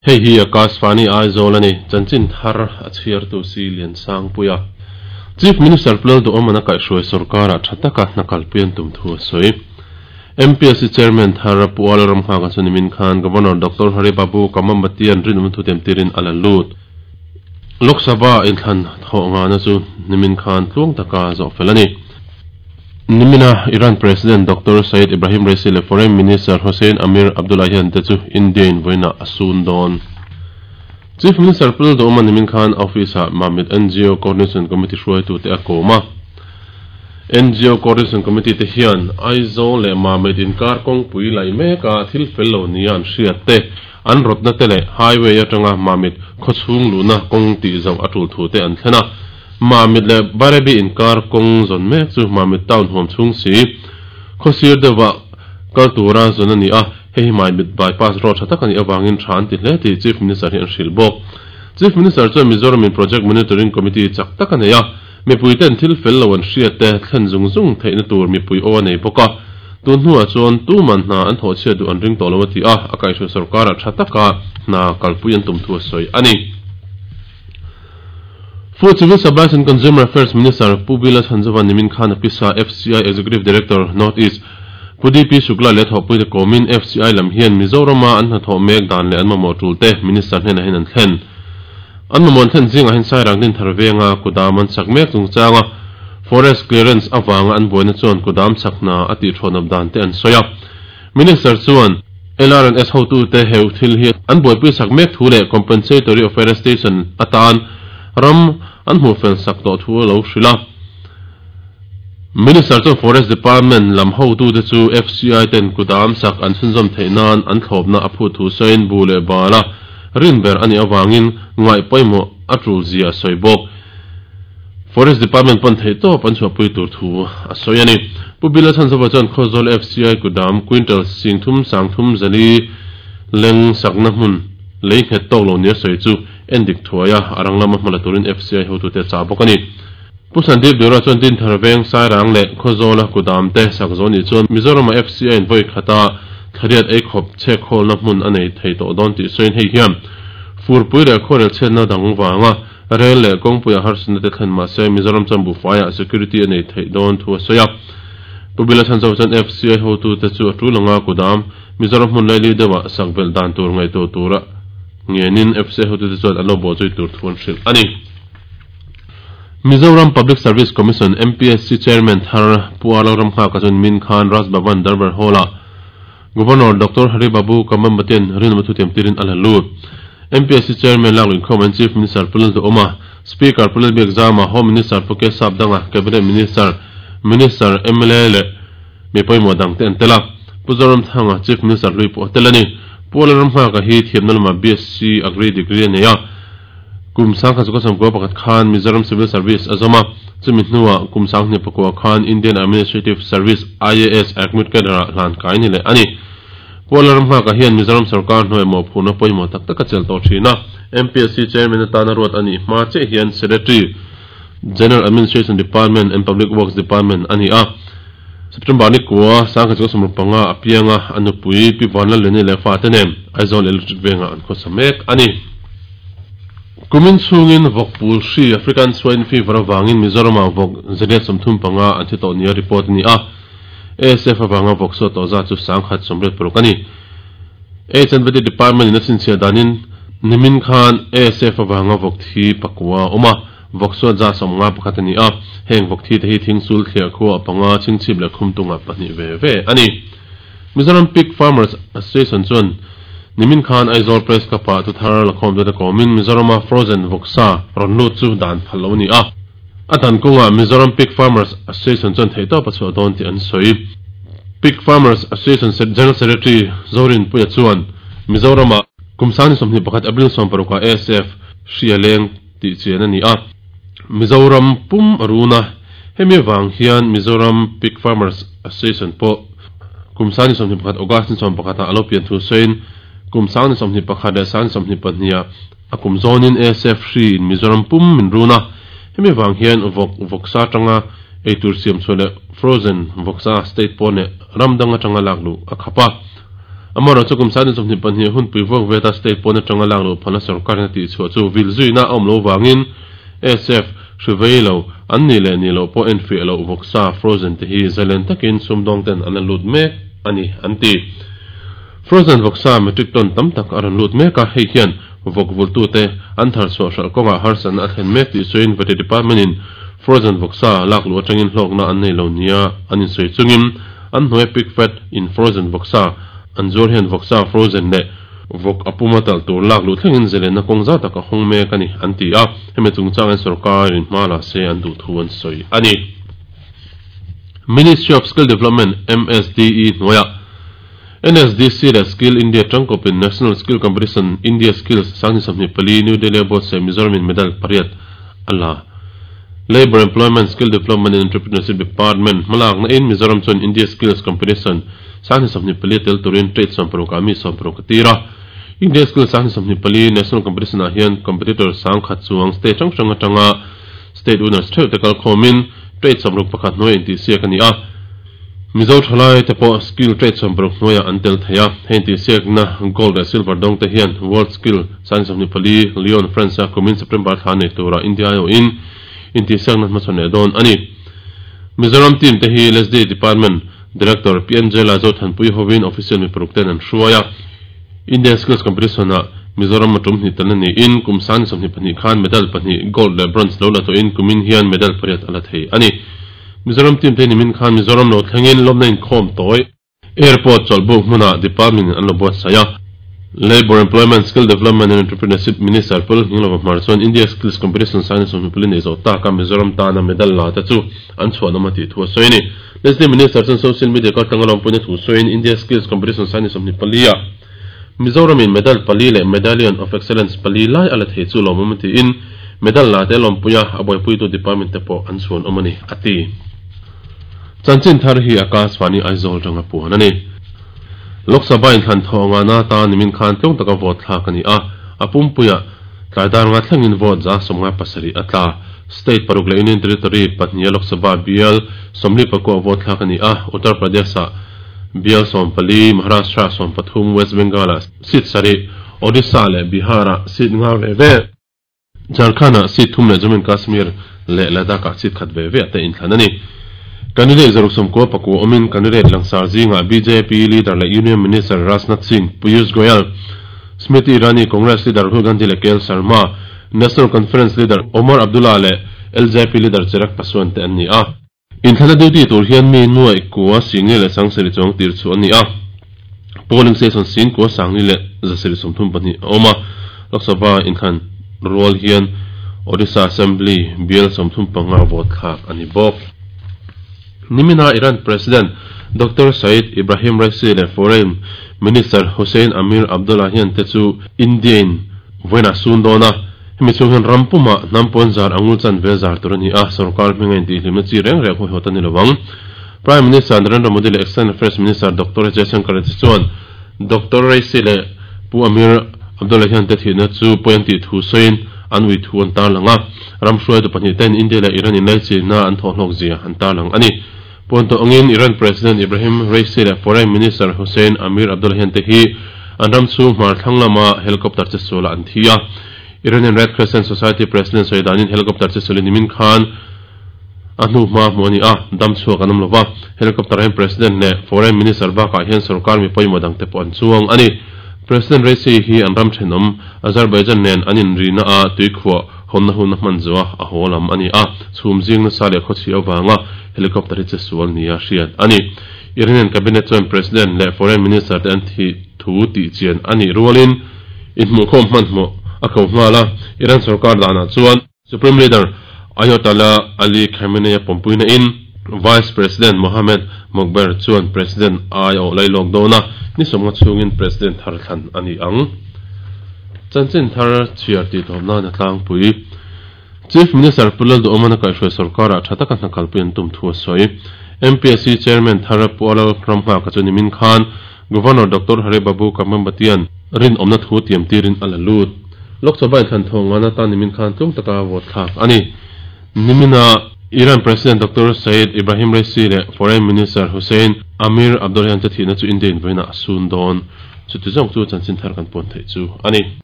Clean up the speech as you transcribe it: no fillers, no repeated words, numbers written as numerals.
Hei hi Akashvani Aizawl a ni, chanchin thar a chhiartu si Liansangpuia. Chief Minister Pu Lalduhawman a kaihhruai sorkarah tha taka hna kalpui an tum thu a sawi. MPSC Chairman thar Pu Ala Ramnghaka chu nimin khan Governor Doctor Hari Babu Kamambatian rinawmna thu tiamtirin a la lut. Lok Sabha inthlan thawh ngahna chu nimin khan tluang taka zawh fel a ni. Nimina Iran President Doctor Sayyid Ibrahim Raisi leh Foreign Minister Hossein Amir Abdollahian te chu India-in vawiinah a sun dawn. Chief Minister Pu Lalduhawma nimin khan office-ah Mamit NGO Coordination Committee hruaitute a kawm a. NGO Coordination Committee te hian Aizawl leh Mamit inkar kawngpui laih meka thil fel lo nia an hriat te, an rawtna te leh highway atanga Mamit khawchhung luhna kawng tih zauh a tul thu te an thlen a. Mamit leh Bairabi inkar kawng zawn mek chu Mamit town huam chhung si khawsir deuhvah kal tura zawn a ni a, hei hi Mamit bypass road tha tak a nih avangin tha an ti hle tih Chief Minister hi an hrilh bawk. Chief Minister chuan Mizoramin Project Monitoring Committee chak tak a nei a, mipui ten thil fel lo an hriat te thlen zung zung theihna tur mipui aw a nei bawk a, tun hnuah chuan tuman hna an thawh chhiat duh an ring tawh lo a ti a, a kaihhruai sorkarah tha taka hna kalpui an tum thu a sawi a ni. Food Civil Supplies and Consumer Affairs Minister Pu Bila Chhanzova nimin khan a pisa FCI Executive Director, North East, Pu DP Shukla leh thawhpuite kawmin FCI lam hian Mizorama an hnathawh mek dan leh an mamawh tulte Minister hnenah hian an thlen. An mamawh an thlen zingah hian Sairang Dinthar venga kudam an chak mek chungchanga Forest Clearance avanga an buaina chuan kudam chak hna a tihthawhnawp dan te an sawi a. Minister chuan LRNS hotute heu thil hi an buaipui sak mek thu leh Compensatory Afforestation atan ram an hmuh fel sak tawh thu a lo hrilh a. Minister chuan Forest Department lam hotute chu FCI ten kudam sak an chhunzawm theih nan an thlawpna a phut thu sawiin bu leh bala rin ber a nih avangin ngaih pawimawh a tul zia a sawi bawk. Forest Department pawn theih tawp an chhuahpui tur thu a sawi a ni. Pu Bila Chhanzova chuan Khawzawl FCI kudam quintal singthum sangthum zali leng sakna hmun lei nghet tawk lo nia sawi chu endik thuai a, a rang lama hmala turin FCI hotute a chah bawk a ni. Pu Sandeep Deora chuan Dinthar veng Sairang leh Khawzawla kudam te sak zawh nih chuan Mizorama FCI in vawi khata thlariat ei khawp chhekkhawlna hmun a nei thei tawh dawn tih sawiin hei hian furpui leh khuarel chhiatna dang vanga Rel leh kawngpuiah harsatna te thlen mah se Mizoram chuan buhfaiah security a nei theih dawn thu a sawi a. Pu Bila Chhanchauh chuan FCI hotute chu a tul anga kudam Mizoram hmun laili deuhah sak belh dan tur ngaihtuah tura ngenin FCI hotute chuan an lo bawhzui tur thu an hrilh a ni. Mizoram Public Service Commission, MPSC, Chairman thar Pu Arlo Ramnghaka chuan Min Khan Raj Bhavan Darbar Hall-ah Governor Doctor Hari Babu Kambhampatian rinawm thutiam tirin a la lut. MPSC Chairman lak luinkhawm an Chief Minister Pu Lalduhawma, Speaker Pu Lalbiakzama, Home Minister Pu K Sapdanga, Cabinet Minister, Minister, mla leh mi pawimawh dangte an tel a. Pu Zoramthanga, Chief Minister hlui pawh a tel a ni. Pu Lalramnghaka hi thiamna lamah BSc Agri degree a nei a. Kum 1991 khan Mizoram Civil Service a zawm a, chumi hnuah kum 2009 khan Indian Administrative Service, IAS, Admit Cadre-ah hlan kai ni leh a ni. Pu Lalramnghaka hian Mizoram sorkar hnuai mawhphurhna pawimawh tak tak a chelh tawh thin a, MPSC Chairman atana ruat a nih hma chiah hian Secretary, General Administration Department and Public Works Department a ni a. September ni kua 1965 a piang a, a nupui Pi Vanlaleni leh fate nen Aizawl Electric Vengah an khawsa mek a ni. Kumin chhungin vawk pul hri African Swine Fever avangin Mizoramah vawk zariat 35 an thi tawh nia report a ni a. ASF avanga vawk suat tawh zat chu 1086 a ni. HNBT Department in a chhinchhiah danin nimin khan ASF avanga vawk thi pakua a awm a, vawk suat zat 51 a ni a. Heng vawk thi te hi thingsul thliah khua a panga, chhingchhip leh khumtunga pahnih ve ve a ni. Mizoram Pig Farmers Association chuan nimin khan Aizawl Press Club-ah thuthar lakhawm te kawmin Mizorama frozen vawksa rawn lut chu dan phal lo a ni a. A dan kawngah Mizoram Pig Farmers Association chuan theihtawp a chhuah dawn tih an sawi. Pig Farmers Association General Secretary Zorinpuia chuan Mizoramah kum 2021 April 16 ah ASF hri a leng tih chian a ni a. Mizoram pum a run a, hemi avang hian Mizoram Pig Farmers Association pawh kum 2021 August ni 11 ah a lo pian thu sawiin kum 2021 leh 2022 ah a kum zawnin ASF hri in Mizoram pum min run a, hemi avang hian vawk vawksa atanga eitur siam chhuah leh frozen vawksa state pawn leh ram dang atanga lak luh a khap a. Amaherawhchu kum 2022 hunpui vuak veta state pawn atanga lak luh phalna sorkarin a tihchhuah chu vil zuina a awm loh vangin ASF hri vei lo an nih leh nih loh pawh enfiah loh vawksa frozen te hi zalen takin sumdawng ten an la lut mek a ni an ti. Frozen vawksa metric ton tam tak a rawn lut mek a, hei hian vawk vultute an thar chhuah hralh kawngah harsatna a thlen mek tih sawiin Vety Department in frozen vawksa lak luh atangin hlawkna an nei lo nia an insawi chungin an hnuaia pig fat in frozen vawksa an zuar hian vawksa frozen leh vawk a puma talh tur lak luh thlengin zelenna kawng zau tak a hawng mek a ni an ti a, hemi chungchangin sorkarin hma la se an duh thu an sawi a ni. Ministry of Skill Development, MSDE, hnuaiah NSDC leh Skill India tangkawpin National Skill Competition India Skills 2024 New Delhi a buatsaih Mizoramin medal pariat a la. Labour Employment, Skill Development and Entrepreneurship Department hmalakna in Mizoram chuan India Skills Competition 2024 tel turin trade 60 ah mi 60 a tir a. India Skills 2024 National Competition ah hian competitor 10,000 chuang state hrang hrang atanga state winners theuh te kalkhawmin trade 61 hnuaia intihsiak a ni a. Mizo thalai te pawh skill trade 60 hnuaiah an tel thei a, heng tihsiakna gold leh silver dawng te hian World Skill 2024 Lyon, France a kumin September thla nei tura India aiawhin intihsiakna hmachhawn leh dawn a ni. Mizoram team te hi LSD Department Director Pi Angela Zothanpui hovin official mi paruk ten an hruai a. India Skills Competition ah Mizoram a tum hnih telna niin kum 2022 khan medal pahnih gold leh bronze lo la tawhin kumin hian medal pariat a la thei a ni. Mizoram team te nimin khan Mizoram lo thlengin lawmna inkhawm tawi. Airport chawlhbuk hmunah department in an lo buatsaih a. Labour, Employment, Skill Development and Entrepreneurship Minister Pu Lalhninglova Hmar chuan India Skills Competition Science sawmhnih nei zawh taka Mizoram tana medal la te chu an chhuanawm a tih thu a sawi a ni. Leslie Minister chuan social media kaltlanga lawmpuina thu sawiin India Skills Competition Science 24 ah Mizoramin medal pali leh Medallion of Excellence pali lai a la thei chu lawmawm a tiin medal la te lawmpuia a buaipuitu department te pawh an chhuanawm a ni, a ti. Chanchin thar hi Akashvani Aizawl atanga puan a ni. Lok Sabha inthlan thawh ngana atan nimin khan tlung taka vote thlak a ni a, a pumpuiah tlai dar nga thlengin vote 97 a tla. State paruk leh Union Territory pahniha Lok Sabha bial 44 vote thlak a ni a, Uttar Pradesh-ah Bial 14, Maharashtra 13, West Bengal-ah seat sarih, Odisha leh Bihar-ah seat nga ve ve, Jharkhand-ah seat thum leh Jammu and Kashmir leh Ladakh-ah seat khat ve ve a te inthlan a ni. Candidate 69 awmin candidate langsar zingah bjp leader leh Union Minister Rajnath Singh, Piyush Goyal, Smriti Irani, Congress leader Rahul Gandhi leh KL Sharma, National Conference leader Omar Abdullah leh LJP leader Chirag Paswan te an ni a. Inthlana duty tur hian mi nuaih kua singli leh sangsarih chuang tir chu a ni a. Polling station sing kua sangli leh zasarih 32 a awm a. Lok Sabha inthlan rual hian Odisha Assembly bial 35 vote thlak a ni bawk. Nimina Iran President Doctor Said Ibrahim Raisi leh Foreign Minister Hossein Amir Abdollahian te chu India-in vawiinah sun dawn a. Hemi chhung hian ram pumah hnam pawn zar angul chan ve zar tur a ni a, sorkar hminga intihhlimna chi reng reng huaihawt a ni lo ang. Prime Minister Narendra Modi leh External Affairs Minister Doctor Jaishankar te chuan Doctor Raisi leh Pu Amir Abdollahian te thihna chu pawi an tih thu sawiin an ui thu an tarlang a, ram hruaitu pahnih ten India leh Iran inlaichinna an thawhhlawk zia an tarlang a ni. Puan tawh angin Iran President Ibrahim Raisi leh Foreign Minister Hossein Amir Abdollahian te hi an ram chhung hmar thlang lama helicopter che sualah an thi a. Iranian Red Crescent Society President sawi danin helicopter che sualin nimin khan a hnu hma hmuh a ni a, dam chhuak an awm lo va. Helicopter ah hian President leh Foreign Minister bakah hian sorkar mi pawimawh dangte pawh an chuang a ni. President Raisi hi an ram thenawm Azerbaijan nen an inrina a tuikhuah Hawnna hun a hman zuah a haw lam a ni a, chhum zing nasa leh khawchhi avanga helicopter hi che sual nia hriat a ni. Iranian cabinet chuan President leh Foreign Minister te an thih thu tih chian a nih rualin inhmuhkhawm hmanhmawh a ko nghal a, Iran sorkar danah chuan Supreme Leader Ayatollah Ali Khamenei a pawmpuina in Vice President Mohammad Mokhber chuan President ai a awh lailawk dawn a, ni sawmnga chhungin President thar thlan a ni ang. Chanchin thar chhiar tih tawp nan a tlangpui. Chief Minister Pu Lalduhawman a kaihhruai sorkarah tha taka hna kalpui an tum thu a sawi. MPSC Chairman thar Pu Alal Ramnghaka chu nimin khan Governor Doctor Hari Babu Kambhampatian rinawmna thu tiam tirin a la lut. Lok Sabha inthlan thawng ngan atan nimin khan tlung taka vote thlak a ni. Nimina. Iran President Doctor Seyed Ebrahim Raisi leh Foreign Minister Hossein Amir Abdollahian te thihna chu India in vawiinah a sun dawn. Chuti zawng chu chanchin thar kan puan theih chu a ni.